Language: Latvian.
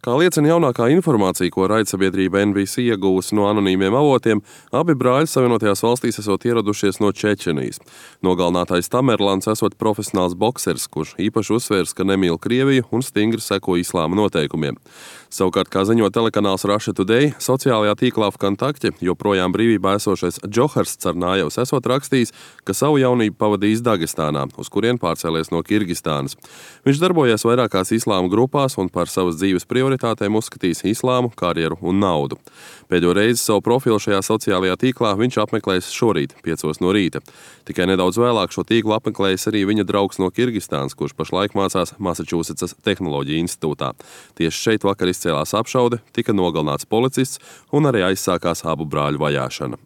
Kā liecina jaunākā informācija, ko raidsabiedrība NBC ieguvusi no anonīmiem avotiem, abi brāļi Savienotajās valstīs esot ieradušies no Čečenijas. Nogalinātais Tamerlans esot profesionāls boksers, kurš īpaši uzsvērs, ka nemīl Krieviju un stingri seko islāma noteikumiem. Savukārt, kā ziņo telekanāls Russia Today, sociālajā tīklā Vkontakte joprojām brīvībā esošais Džohars Carnājevs esot rakstījis, ka savu jaunību pavadījis Dagestānā, uz kurien pārcēlies no Kirgistānas. Viņš darbojies vairākās islāma grupās un par savas dzīves prioritātēm uzskatījis islāmu, karjeru un naudu. Pēdējo reizi savu profilu šajā sociālajā tīklā viņš apmeklējis šorīt, 5 no rīta. Tikai nedaudz vēlāk šo tīklu apmeklējis arī viņa draugs no Kirgistānas, kurš pašlaik mācās Massachusettsas Tehnoloģiju institūtā. Tieši šeit vakar izcēlās apšaude, tika nogalināts policists un arī aizsākās abu brāļu vajāšana.